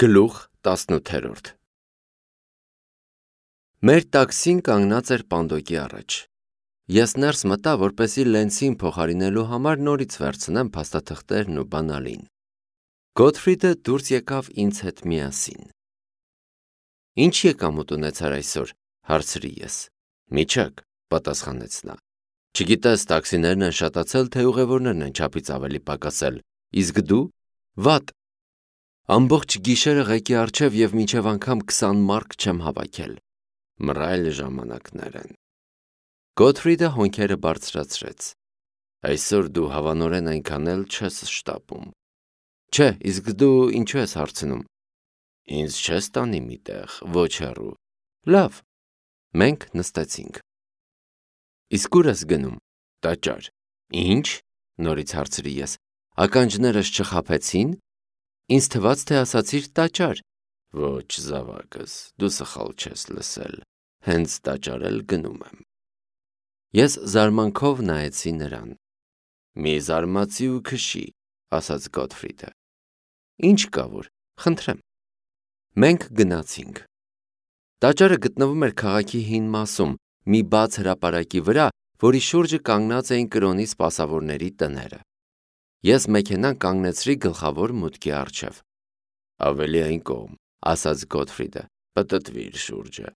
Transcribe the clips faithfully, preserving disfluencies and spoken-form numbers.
Գլուխ տասնութերորդ Մեր տաքսին կանգնած էր պանդոկի առաջ։ Ես ներս մտա, որպեսզի լենցին փոխարինելու համար նորից վերցնեմ փաստաթղթերն ու բանալին։ Գոթֆրիդը դուրս եկավ ինձ հետ միասին։ Ինչ եկամուտ ունեցար այսօր, հարցրի ես։ Միջակ, պատասխանեց նա։ Չգիտես, տաքսիներն են շատացել, թե ուղևորներն են չափից ավելի պակասել, իսկ դու՝ վատ։ Ամբողջ գիշերը ղեկի առջև և մինչև անգամ քսան մարկ չեմ հավաքել։ Մռայլ ժամանակներ են։ Գոթֆրիդը հոնքերը բարձրացրեց։ Այսօր դու հավանորեն այնքան էլ չես շտապում։ Չէ, իսկ դու ինչու ես հարցնում։ Ինձ չես տանի մի տեղ, ոչ հեռու։ Լավ։ Մենք նստեցինք։ Իսկ ուր ես գնում։ Տաճար։ Ինչ։ Նորից հարցրի ես։ Ականջներս չխաբեցին։ Ինձ թվաց, թե ասացիր տաճար։ Ոչ, զավակս, դու սխալ չես լսել։ Հենց տաճար էլ գնում եմ։ Ես զարմանքով նայեցի նրան։ Մի զարմացի ու քշի, ասաց Գոթֆրիդը։ Ինչ կա որ, խնդրեմ։ Մենք գնացինք։ Տաճարը գտնվում էր քաղաքի հին մասում, մի բաց հրապարակի վրա, որի շուրջը կանգնած էին կրոնի սպասավորների տները։ Ես մեքենան կանգնեցրի գլխավոր մուտքի առջև։ Ավելի այն կողմ, ասաց Գոթֆրիդը, պտտվիր շուրջը։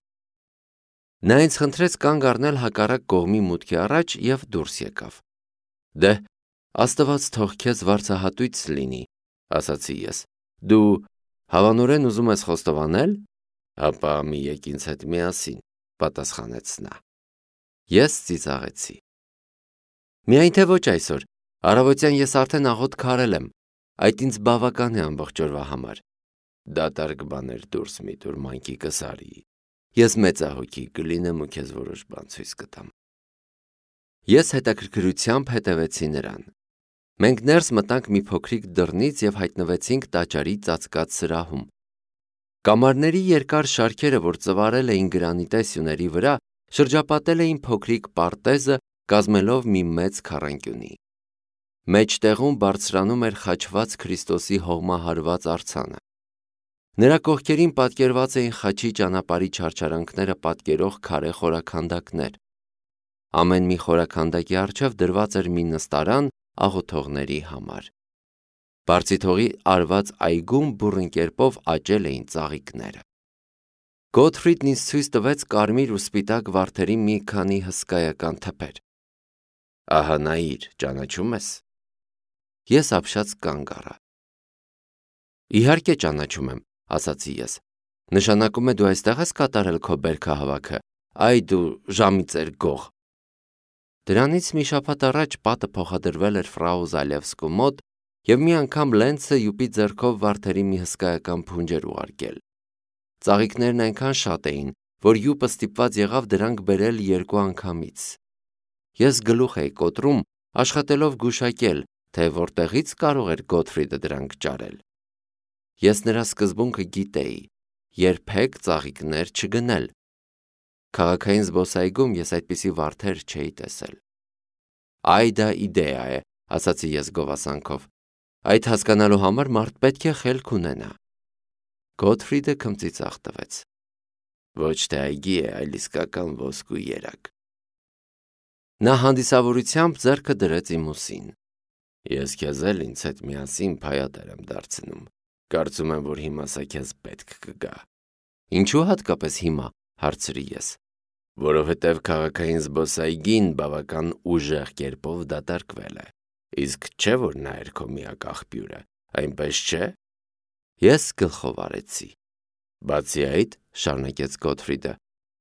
Նա ինձ խնդրեց կանգ առնել հակառակ կողմի մուտքի առաջ և դուրս եկավ։ Դե, Աստված թող քեզ վարձահատույց լինի, ասացի ես։ Դու հավանորեն ուզում ես խոստովանել։ Ապա մի եկ ինձ հետ միասին, պատասխանեց նա։ Ես ծիծաղեցի։ Միայն թե ոչ այսօր։ Առավոտյան ես արդեն աղոտ քարել եմ, այդ ինձ բավական է ամբողջ օրվա համար։ Դատարկ բաներ դուրս մի տուր, մանկիկս արի։ Ես մեծահոգի կլինեմ ու քեզ որոշ բան ցույց կտամ։ Ես հետաքրքրությամբ հետևեցի նրան։ Մենք ներս մտանք մի փոքրիկ դռնից և հայտնվեցինք տաճարի ծածկած սրահում։ Կամարների երկար շարքերը, որ ծվարել էին գրանիտե սյուների վրա, շրջապատել էին փոքրիկ պարտեզը, կազմելով մի մեծ քառանկյունի։ Մեջտեղում բարձրանում էր խաչված Քրիստոսի հողմահարված արձանը։ Նրա կողքերին պատկերված էին խաչի ճանապարհի չարչարանքները պատկերող քարե խորաքանդակներ։ Ամեն մի խորաքանդակի առջև դրված էր մի նստարան աղոթողների համար։ Բարձիթողի արված այգում բուռն կերպով աճել էին ծաղիկները։ Գոթֆրիդն ինձ ցույց տվեց կարմիր ու սպիտակ վարդերի մի քանի հսկայական թփեր։ Ահա նայիր, ճանաչում ես։ Ես ապշած կանգ առա։ Իհարկե ճանաչում եմ, ասացի ես։ Նշանակում է դու այստեղ ես կատարել քո բերքահավաքը, այ դու ժամիծեր գող։ Դրանից մի շաբաթ առաջ պատը փոխադրվել էր ֆրաու Զալևսկու մոտ և մի անգամ Լենցը յուպի ձեռքով վարդերի մի հսկայական փունջ էր ուղարկել։ Ծաղիկներն այնքան շատ էին, որ յուպը ստիպված եղավ դրանք բերել երկու անգամից։ Ես գլուխ էի կոտրում, աշխատելով գուշակել, թե որտեղից կարող էր Գոթֆրիդը դրանք ճարել։ Ես նրա սկզբունքը գիտեի, երբեք ծաղիկներ չգնել։ Քաղաքային զբոսայգում ես այդպիսի վարդեր չէի տեսել։ Այ դա իդեա է, ասացի ես գովասանքով։ Այդ հասկանալու համար մարդ պետք է խելք ունենա։ Գոթֆրիդը քմծիծաղ տվեց։ Ոչ թե այգի է, այլ իսկական ոսկու երակ։ Նա հանդիսավորությամբ ձեռքը դրեց իմ ուսին։ Ես քեզ էլ ինձ հետ միասին փայատեր եմ դարձնում։ Կարծում եմ, որ հիմա սա քեզ պետք կգա։ Ինչու հատկապես հիմա, հարցրի ես։ Որովհետև քաղաքային զբոսայգին բավական ուժեղ կերպով դատարկվել է։ Իսկ չէ՞ որ նա էր քո միակ աղբյուրը, այնպես չէ։ Ես գլխով արեցի։ Բացի այդ, շարունակեց Գոթֆրիդը,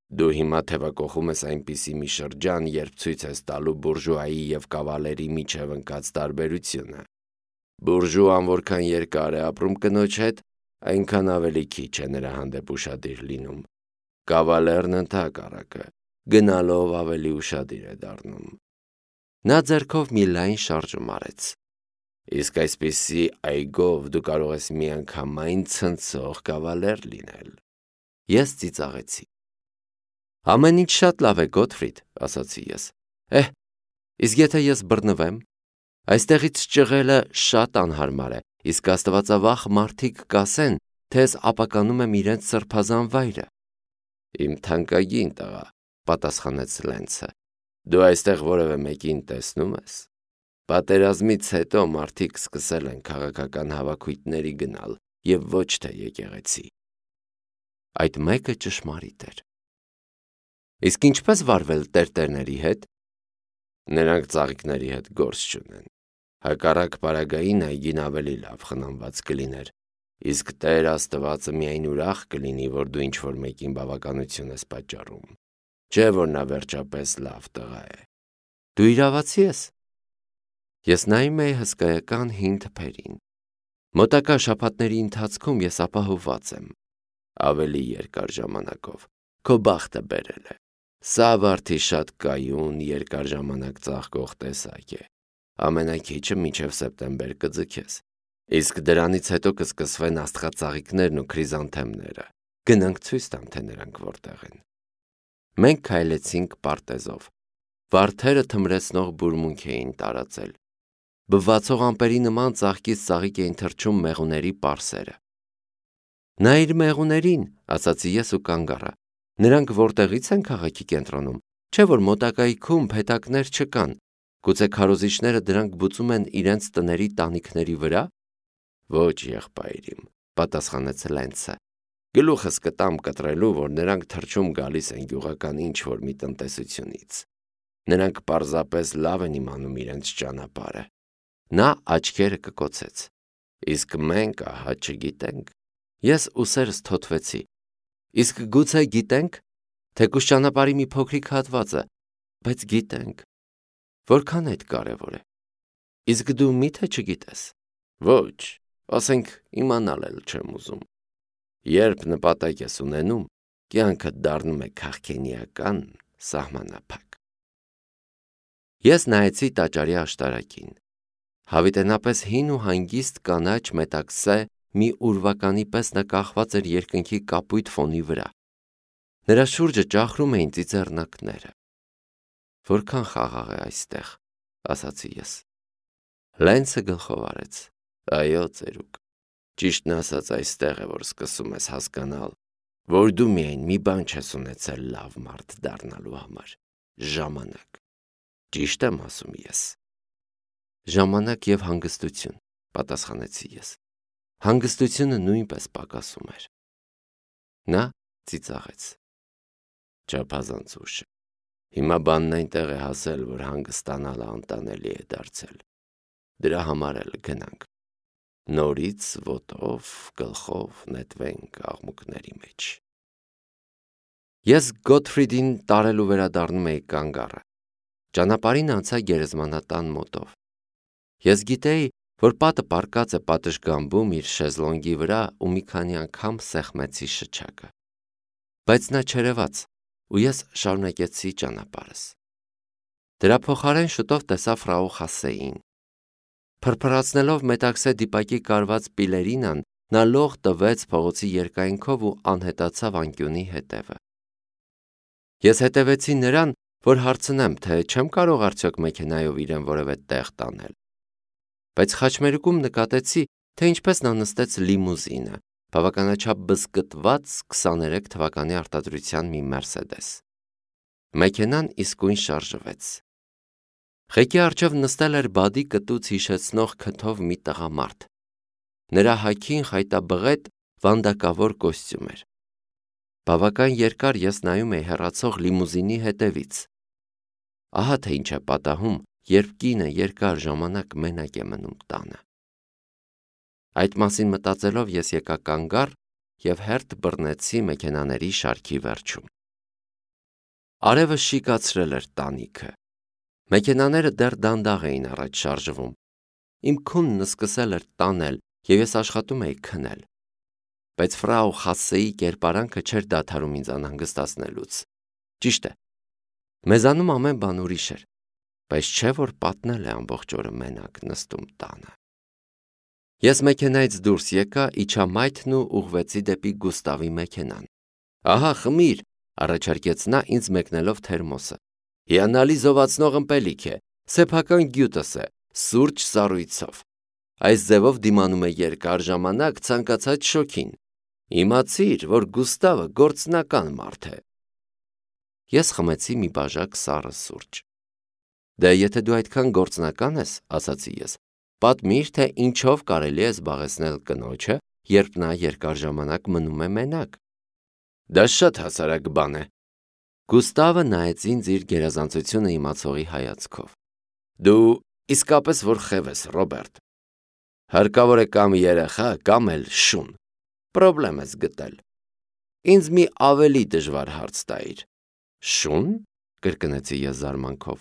դու հիմա թևակողում ես այնպիսի մի շրջան, երբ ցույց ես տալու բուրժուայի և կավալերի միջև ընկած տարբերությունը։ Բուրժուան որքան երկար է ապրում կնոջ հետ, այնքան ավելի քիչ է նրա հանդեպ ուշադիր լինում։ Կավալերն ընդհակառակը, գնալով ավելի ուշադիր է դառնում։ Նա ձեռքով մի լայն շարժում արեց։ Իսկ այսպիսի այգով դու կարող ես միանգամայն ցնցող կավալեր լինել։ Ես ծիծաղեցի։ Ամեն ինչ շատ լավ է, Գոթֆրիդ, ասացի ես։ Էհ, իսկ եթե ես բռնվեմ։ Այստեղից ճղելը շատ անհարմար է, իսկ աստվածավախ մարդիկ կասեն, թե ես ապականում եմ իրենց սրբազան վայրը։ Իմ թանկագին տղա, պատասխանեց Լենցը, դու այստեղ որևէ մեկին տեսնում ես։ Պատերազմից հետո մարդիկ սկսել են քաղաքական հավաքույթների գնալ եւ ոչ թե եկեղեցի։ Այդ մեկը ճշմարիտ էր։ Իսկ ինչպես վարվել տերտերների հետ։ Նրանք ծաղիկների հետ գործ չունեն։ Հակառակ պարագային այգին ավելի լավ խնամված կլիներ, իսկ Տեր Աստվածը միայն ուրախ կլինի, որ դու ինչ-որ մեկին բավականություն ես պատճառում, չէ՞ որ նա վերջապես լավ տղա է։ Դու իրավացի ես։ Ես նայում էի հսկայական հին թփերին։ Մոտակա շաբաթների ընթացքում ես ապահովված եմ։ Ավելի երկար ժամանակով քո բախտը բերել է։ Սա վարդի շատ կայուն, երկար ժամանակ ծաղկող տեսակ է։ Ամենաքիչը մինչև սեպտեմբեր կձգես, իսկ դրանից հետո կսկսվեն աստղածաղիկներն ու քրիզանթեմները։ Գնանք ցույց տամ, թե նրանք որտեղ են։ Մենք քայլեցինք պարտեզով։ Վարդերը թմրեցնող բուրմունք էին տարածել։ Բվացող ամպերի նման ծաղկից ծաղիկ էին թռչում մեղուների պարսերը։ Նայիր մեղուներին, ասացի ես ու կանգ առա։ Նրանք որտեղից են քաղաքի կենտրոնում, չէ՞ որ մոտակայքում փեթակներ չկան։ Գուցե քարոզիչները դրանք բուծում են իրենց տների տանիքների վրա։ Ոչ, եղբայրիմ, պատասխանեց Լենցը։ Գլուխս կտամ կտրելու, որ նրանք թռչում գալիս են գյուղական ինչ-որ մի տնտեսությունից։ Նրանք պարզապես լավ են իմանում իրենց ճանապարհը։ Նա աչքերը կկոցեց։ Իսկ մենք ահա չգիտենք։ Ես ուսերս թոթվեցի։ Իսկ գուցե գիտենք, թեկուզ ճանապարհի մի փոքրիկ հատվածը, բայց գիտենք։ Որքան այդ կարևոր է։ Իսկ դու մի՞թե չգիտես։ Ոչ, ասենք իմանալ էլ չեմ ուզում։ Երբ նպատակ ես ունենում, կյանքդ դառնում է քաղքենիական սահմանափակ։ Ես նայեցի տաճարի աշտարակին։ Հավիտենապես հին ու հանգիստ կանաչ մետաքսե մի ուրվականի պես նա կախված էր երկնքի կապույտ ֆոնի վրա։ Նրա շուրջը ճախրում էին ծիծեռնակները։ Որքան խաղաղ է այստեղ, ասացի ես։ Լենցը գլխով արեց։ Այո, ծերուկ։ Ճիշտն ասած այստեղ է, որ սկսում ես հասկանալ, որ դու միայն մի բան չես ունեցել լավ մարդ դառնալու համար՝ ժամանակ։ Ճիշտ եմ ասում ես։ Ժամանակ եւ հանգստություն, պատասխանեցի ես։ Հանգստությունը նույնպես պակասում էր։ Նա ծիծաղեց։ Չափազանց ուշ է։ Հիմա բանն այնտեղ է հասել, որ հանգստանալը անտանելի է դարձել։ Դրա համար էլ գնանք։ Նորից ոտով, գլխով նետվենք աղմուկների մեջ։ Ես Գոթֆրիդին տարելու վերադառնում էի կանգ առա։ Ճանապարհին անցա գերեզմանատան մոտով։ Ես գիտեի, որ պատը պառկած է պատշգամբում իր շեզլոնգի վրա ու մի քանի անգամ սեղմեցի շչակը։ Բայց նա չերևաց, ու ես շարունակեցի ճանապարհս։ Դրա փոխարեն շուտով տեսա ֆրաու Խասեին։ Փրփրացնելով մետաքսե դիպակի կարված պիլերինան, նա լող տվեց փողոցի երկայնքով ու անհետացավ անկյունի հետևը։ Ես հետևեցի նրան, որ հարցնեմ, թե չեմ կարող արդյոք մեքենայով իրեն որևէ տեղ տանել։ Բայց խաչմերուկում նկատեցի, թե ինչպես նա նստեց լիմուզինը, բավականաչափ բզկտված քսաներեք թվականի արտադրության մի Մերսեդես։ Մեքենան իսկույն շարժվեց։ Ղեկի առջև նստել էր բադի կտուց հիշեցնող քթով մի տղամարդ։ Նրա հագին խայտաբղետ վանդակավոր կոստյում էր։ Բավական երկար ես նայում էի հեռացող լիմուզինի հետևից։ Ահա թե ինչ է պատահում, երբ կինը երկար ժամանակ մենակ է մնում տանը։ Այդ մասին մտածելով ես եկա կանգ առ և հերթ բռնեցի մեքենաների շարքի վերջում։ Արևը շիկացրել էր տանիքը։ Մեքենաները դեռ դանդաղ էին առաջ շարժվում։ Իմ քունն սկսել էր տանել, և ես աշխատում էի քնել։ Բայց ֆրաու Խասեի կերպարանքը չէր դադարում ինձ անհանգստացնելուց։ Ճիշտ է, մեզանում ամեն բան ուրիշ էր, բայց չէ՞ որ պատնել է ամբողջ օրը մենակ նստում տանը։ Ես մեքենայից դուրս եկա, իջա մայթն ու ուղղվեցի դեպի Գուստավի մեքենան։ Ահա խմիր, առաջարկեց նա ինձ մեկնելով թերմոսը։ Հիանալի զովացնող ըմպելիք է, սեփական գյուտս է, սուրճ սառույցով։ Այս ձևով դիմանում է երկար ժամանակ ցանկացած շոքին։ Իմացիր, որ Գուստավը գործնական մարդ է։ Ես խմեցի մի բաժակ սառը սուրճ։ Դե եթե դու այդքան գործնական ես, ասացի ես, պատմիր, թե ինչով կարելի է զբաղեցնել կնոջը, երբ նա երկար ժամանակ մնում է մենակ։ Դա շատ հասարակ բան է։ Գուստավը նայեց ինձ իր գերազանցությունը իմացողի հայացքով։ Դու իսկապես որ խև ես, Ռոբերտ։ Հարկավոր է կամ երեխա, կամ էլ շուն։ Պրոբլեմ ես գտել։ Ինձ մի ավելի դժվար հարց տայիր։ Շուն, կրկնեցի ես զարմանքով։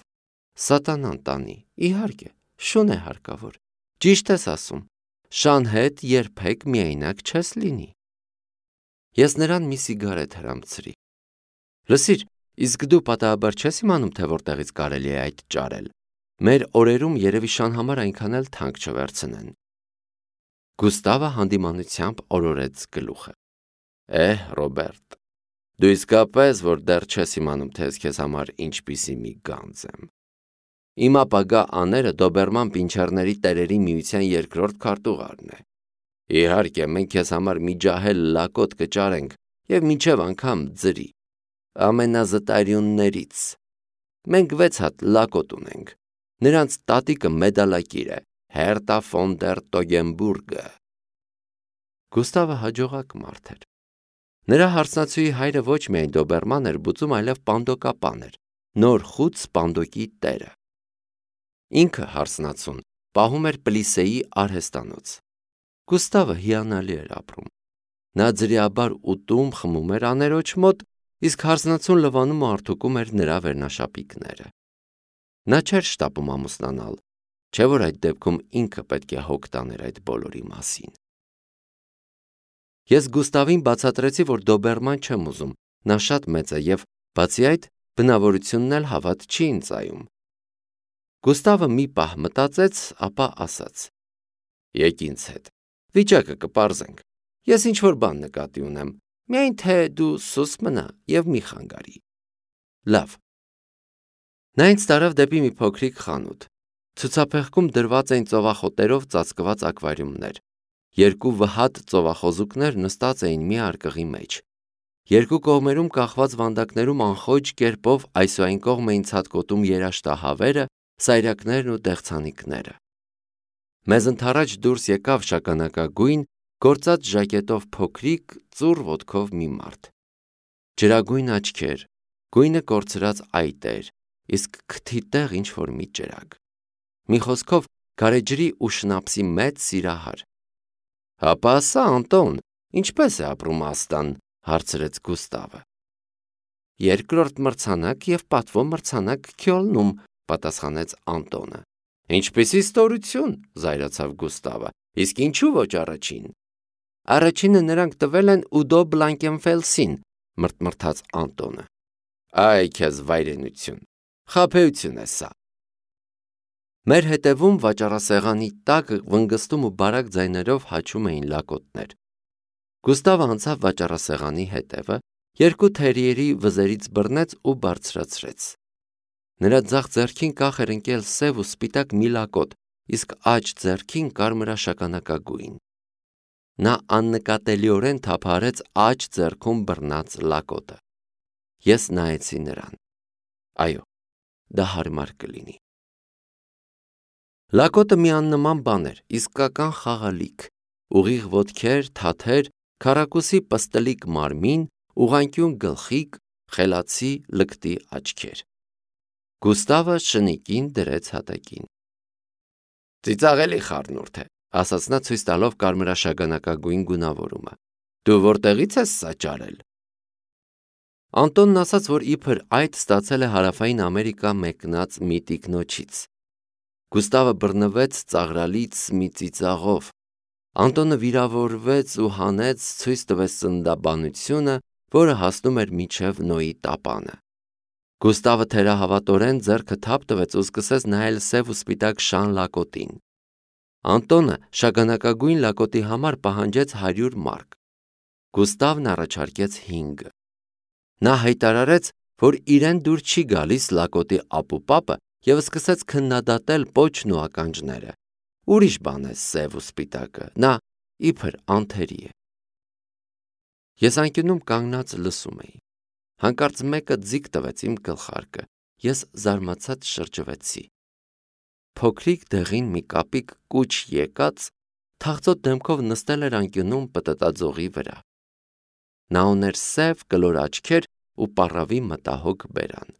Սատանան տանի, իհարկե, շուն է հարկավոր։ Ճիշտ ես ասում, շան հետ երբեք միայնակ չես լինի։ Ես նրան մի սիգարետ հրամցրի։ Լսիր, իսկ դու պատահաբար չես իմանում, թե որտեղից կարելի է այդ ճարել։ Մեր օրերում երևի շան համար այնքան էլ թանկ չվերցնեն։ Գուստավը հանդիմանությամբ օրորեց գլուխը։ Էհ, Ռոբերտ, դու իսկապես որ դեռ չես իմանում, թե ես քեզ համար ինչպիսի մի գանձ եմ։ Իմ ապագա աները Դոբերման պինչերների տերերի միության երկրորդ քարտուղարն է։ Իհարկե, մենք քեզ համար մի ջահել լակոտ կճարենք եւ մինչեւ անգամ ձրի։ Ամենազտարյուններից։ Մենք վեց հատ լակոտ ունենք։ Նրանց տատիկը մեդալակիր է, Հերտա ֆոն դեր Տոգենբուրգը։ Գուստավը հաջողակ մարդ էր։ Նրա հարսնացուի հայրը ոչ միայն Դոբերման էր բուծում, այլև պանդոկապան էր, նոր խուտ սպանդոկի տերը։ Ինքը հարսնացուն պահում էր Պլիսեի արհեստանոց։ Գուստավը հիանալի էր ապրում։ Նա ձրիաբար ուտում, խմում էր աներոջ մոտ, իսկ հարսնացուն լվանում ու արթուկում էր նրա վերնաշապիկները։ Նա չէր շտապում ամուսնանալ, չէ որ այդ դեպքում ինքը պետք է հոգ տաներ այդ բոլորի մասին։ Ես Գուստավին բացատրեցի, որ Դոբերման չեմ ուզում, նա շատ մեծ է եւ բացի այդ բնավորությունն էլ հավատ չի ինձայում։ Գուստավը մի պահ մտածեց, ապա ասաց. Եկ ինձ հետ, վիճակը կպարզենք, ես ինչ-որ բան նկատի ունեմ, միայն թե դու սուս մնա եւ մի խանգարի։ Լավ։ Նա ինձ տարավ դեպի մի փոքրիկ խանութ։ Ցուցափեղկում դրված էին ծովախոտերով ծածկված ակվարիումներ։ Երկու վհատ ծովախոզուկներ նստած էին մի արկղի մեջ։ Երկու կողմերում կախված վանդակներում անխոճ կերպով այս ու այն կողմ էին ցատկոտում երաշտահավերը, սայրակներն ու դեղցանիկները։ Մեզ ընթառաջ դուրս եկավ շագանակագույն, գործած ժակետով փոքրիկ, ծուռ ոտքով մի մարդ։ Ջրագույն աչքեր, գույնը կորցրած այտ էր, իսկ քթի տեղ ինչ-որ մի ջրագ։ Մի խոսքով գարեջրի ու շնապսի մեծ սիրահար։ Հապա ասա, Անտոն, ինչպես է ապրում Աստան, հարցրեց Գուստավը։ Երկրորդ մրցանակ եւ պատվո մրցանակ Քյոլնում, պատասխանեց Անտոնը։ Ինչպիսի ստորություն, զայրացավ Գուստավը, իսկ ինչու ոչ առաջին։ Առաջինը նրանք տվել են Ուդո Բլանկենֆելսին, մրթմրթաց Անտոնը։ Այ քեզ վայրենություն, խաբեություն է սա։ Մեր հետևում վաճառասեղանի տակ վնգստում ու բարակ ձայներով հաչում էին լակոտներ։ Գուստավը անցավ վաճառասեղանի հետևը, երկու թերիերի վզերից բռնեց ու բարձրացրեց։ Նրա ձախ ձեռքին կախ էր ընկել սև ու սպիտակ մի լակոտ, իսկ աջ ձեռքին կարմրաշագանակագույն։ Նա աննկատելիորեն թափահարեց աջ ձեռքում բռնած լակոտը։ Ես նայեցի նրան։ Այո, դա հարմար կլինի։ Լակոտը մի աննման բան էր, իսկական խաղալիք, ուղիղ ոտքեր, թաթեր, քառակուսի պստլիկ մարմին, ուղղանկյուն գլխիկ, խելացի լկտի աչքեր։ Գուստավը շնիկին դրեց հատակին։ Ծիծաղելի խառնուրդ է, ասաց նա ցույց տալով կարմրաշագանակագույն գունավորումը։ Դու որտեղից ես սա ճարել։ Անտոնն ասաց, որ իբր այդ ստացել է Հարավային Ամերիկա մեկնած մի տիկնոջից։ Գուստավը բռնվեց ծաղրալից մի ծիծաղով։ Անտոնը վիրավորվեց ու հանեց, ցույց տվեց ծննդաբանությունը, որը հասնում էր մինչև Նոյի տապանը։ Գուստավը թերահավատորեն ձեռքը թափ տվեց ու սկսեց նայել սև ու սպիտակ շան լակոտին։ Անտոնը շագանակագույն լակոտի համար պահանջեց հարյուր մարկ։ Գուստավն առաջարկեց հինգը։ Նա հայտարարեց, որ իրեն դուր չի գալիս լակոտի ապուպապը և սկսեց քննադատել պոչն ու ականջները։ Ուրիշ բան է սև ու սպիտակը, նա իբր անթերի է։ Ես անկյունում կանգնած լսում էի։ Հանկարծ մեկը ձիգ տվեց իմ գլխարկը, ես զարմացած շրջվեցի։ Փոքրիկ դեղին մի կապիկ կուչ եկած թախծոտ դեմքով նստել էր անկյունում պտտաձողի վրա։ Նա ուներ սև կլոր աչքեր ու պառավի մտահոգ բերան։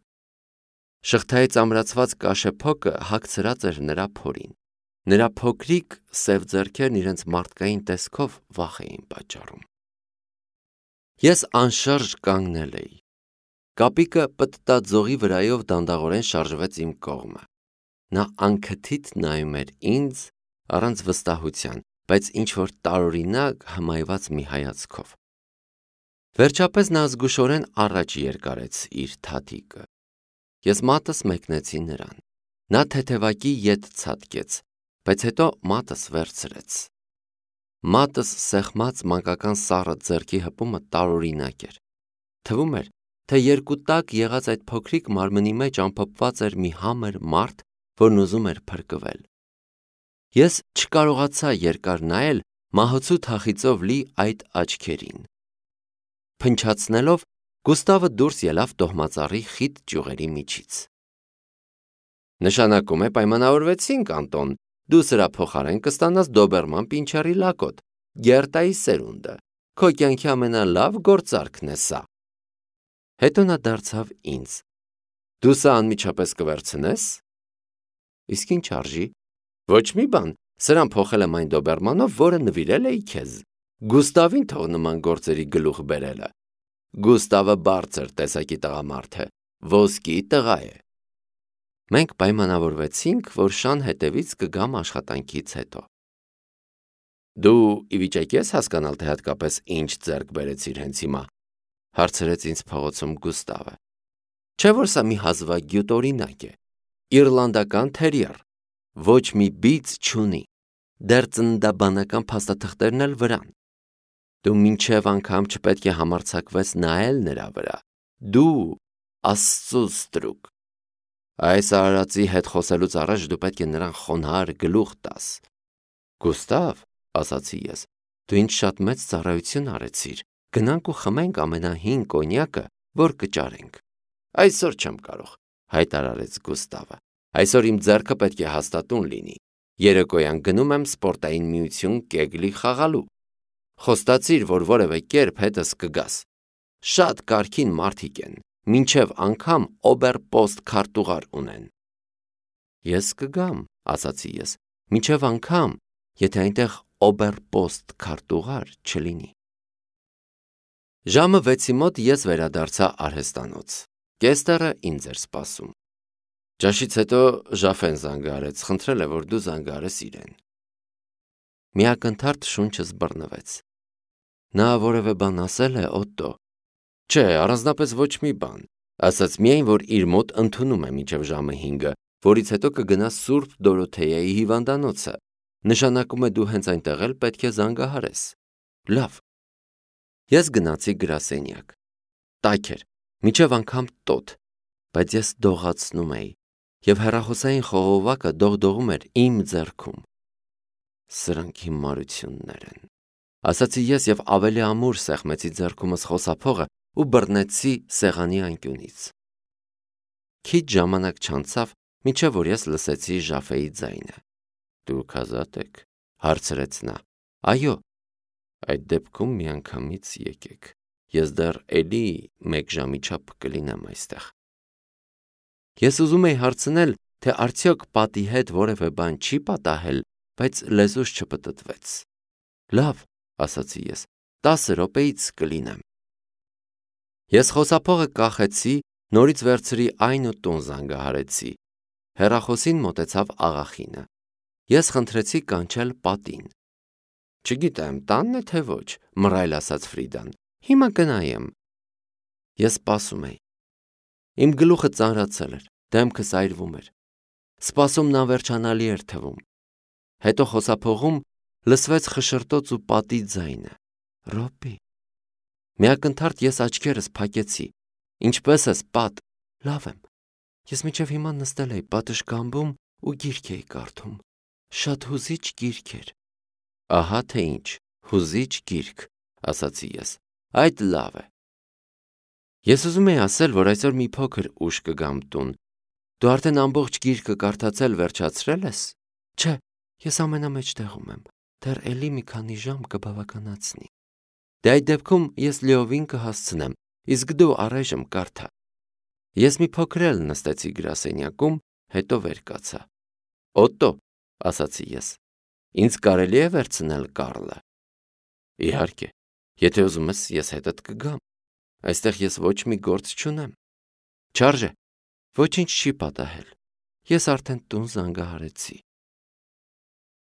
Շղթայից ամրացված կաշեփոկը հագցրած էր նրա փորին։ Նրա փոքրիկ սև ձեռքերն իրենց մարդկային տեսքով վախ էին պատճառում։ Ես անշարժ կանգնել էի։ Կապիկը պտտաձողի վրայով դանդաղորեն շարժվեց իմ կողմը։ Նա անքթիթ նայում էր ինձ առանց վստահության, բայց ինչ-որ տարօրինակ հմայված մի հայացքով։ Վերջապես նա զգուշորեն առաջ երկարեց իր թաթիկը։ Ես մատս մեկնեցի նրան։ Նա թեթևակի ետ ցատկեց, բայց հետո մատս վերցրեց։ Մատս սեղմած մանկական սառը ձեռքի հպումը տարօրինակ էր։ Թվում էր, թե երկու տակ եղած այդ փոքրիկ մարմնի մեջ ամփոփված էր մի համր մարդ, որն ուզում էր փրկվել։ Ես չկարողացա երկար նայել մահոցու թախիծով լի այդ աչքերին։ Փնչացնելով, Գուստավը դուրս ելավ տոհմածառի խիտ ճյուղերի միջից։ Նշանակում է պայմանավորվեցինք, Անտոն, դու սրա փոխարեն կստանաս դոբերման պինչերի լակոտ, Գերտայի սերունդը, քո կյանքի ամենալավ գործարքն է սա։ Հետո նա դարձավ ինձ. Դու սա անմիջապես կվերցնես։ Իսկ ինչ արժի։ Ոչ մի բան, սրան փոխել եմ այն դոբերմանով, որը նվիրել էի քեզ։ Գուստավին թող նման գործերի գլուխ բերելը։ Գուստավը բարձր տեսակի տղամարդ է, ոսկի տղա է։ Մենք պայմանավորվեցինք, որ շան հետևից կգամ աշխատանքից հետո։ Դու ի վիճակի ես հասկանալ, թե հատկապես ինչ ձեռք բերեցիր հենց հիմա, հարցրեց ինձ փողոցում Գուստավը։ Չէ՞ որ սա մի հազվագյուտ օրինակ է։ Իռլանդական թերիեր, ոչ մի բիծ չունի, դեռ ծննդաբանական փաստաթղթերն էլ վրան։ Դու մինչև անգամ չպետք է համարձակվես նայել նրա վրա։ Դու Աստծո ստրուկ։ Այս արարածի հետ խոսելուց առաջ դու պետք է նրան խոնարհ գլուխ տաս։ Գուստավ, ասացի ես, դու ինձ շատ մեծ ծառայություն արեցիր։ Գնանք ու խմենք ամենահին կոնյակը, որ կճարենք։ Այսօր չեմ կարող, հայտարարեց Գուստավը։ Այսօր իմ ձեռքը պետք է հաստատուն լինի։ Երեկոյան գնում եմ սպորտային միություն կեգլի խաղալու։ Խոստացիր, որ որևէ կերպ հետս կգաս։ Շատ կարքին մարդիկ են, մինչև անգամ օբերպոստ քարտուղար ունեն։ Ես կգամ, ասացի ես, մինչև անգամ, եթե այնտեղ օբերպոստ քարտուղար չլինի։ Ժամը վեցի մոտ ես վերադարձա արհեստանոց։ Կեստերը ինձ էր սպասում։ Ճաշից հետո Ժաֆեն զանգահարեց, խնդրել է, որ դու զանգահարես իրեն։ Միակնթարթ շունչս բռնվեց։ Նա որևէ բան ասել է, Օտտո։ Չէ, առանձնապես ոչ մի բան, ասաց միայն, որ իր մոտ ընդունում է մինչև ժամը հինգը, որից հետո կգնա Սուրբ Դորոթեայի հիվանդանոցը։ Նշանակում է դու հենց այնտեղ էլ պետք է զանգահարես։ Լավ։ Ես գնացի գրասենյակ։ Տաք էր, մինչև անգամ տոտ, բայց ես դողացնում էի, և հեռախոսային խողովակը դողդողում էր իմ ձեռքում։ Սրանք հիմարություններ են, ասացի ես և ավելի ամուր սեղմեցի ձեռքումս խոսափողը ու բռնեցի սեղանի անկյունից։ Քիչ ժամանակ չանցավ, մինչև որ ես լսեցի Ժաֆեի ձայնը։ Դուք ազատ եք, հարցրեց նա։ Այո, այդ դեպքում միանգամից եկեք, ես դեռ էլի մեկ ժամի չափ կլինեմ այստեղ։ Ես ուզում էի հարցնել, թե արդյոք պատի հետ որևէ բան չի պատահել, բայց լեզուս չպտտվեց։ Լավ, ասացի ես, տասը րոպեից կլինեմ։ Ես խոսափողը կախեցի, նորից վերցրի այն ու տուն զանգահարեցի։ Հեռախոսին մոտեցավ աղախինը։ Ես խնդրեցի կանչել պատին։ Չգիտեմ, տանն է թե ոչ, մռայլ ասաց Ֆրիդան։ Հիմա կնայեմ։ Ես սպասում էի։ Իմ գլուխը ծանրացել էր, դեմքս այրվում էր։ Սպասումն անվերջանալի էր թվում։ Հետո խոսափողում լսվեց խշշրտոց ու պատի ձայնը։ Ռոպի։ Միակնթարթ ես աչքերս փակեցի։ Ինչպե՞ս ես, պատ։ Լավ եմ։ Ես մինչև հիմա նստել էի պատշգամբում ու գիրք էի կարդում։ Շատ հուզիչ գիրք էր։ Ահա թե ինչ, հուզիչ գիրք, ասացի ես։ Այդ լավ է։ Ես ուզում եի ասել, որ այսօր մի փոքր ուշ կգամ տուն։ Դու արդեն ամբողջ գիրքը կարդացել վերջացրել ես։ Չէ, ես ամենամեջտեղում եմ։ Դեռ էլի մի քանի ժամ կբավականացնի։ Դե այդ դեպքում ես լիովին կհասցնեմ, իսկ դու առայժմ կարդա։ Ես մի փոքր էլ նստեցի գրասենյակում, հետո վեր կացա։ Օտո, ասացի ես, ինձ կարելի է վերցնել Կարլը։ Իհարկե, եթե ուզում ես, ես հետդ կգամ։ Այստեղ ես ոչ մի գործ չունեմ։ Չարժե, ոչինչ չի պատահել։ Ես արդեն տուն զանգահարեցի։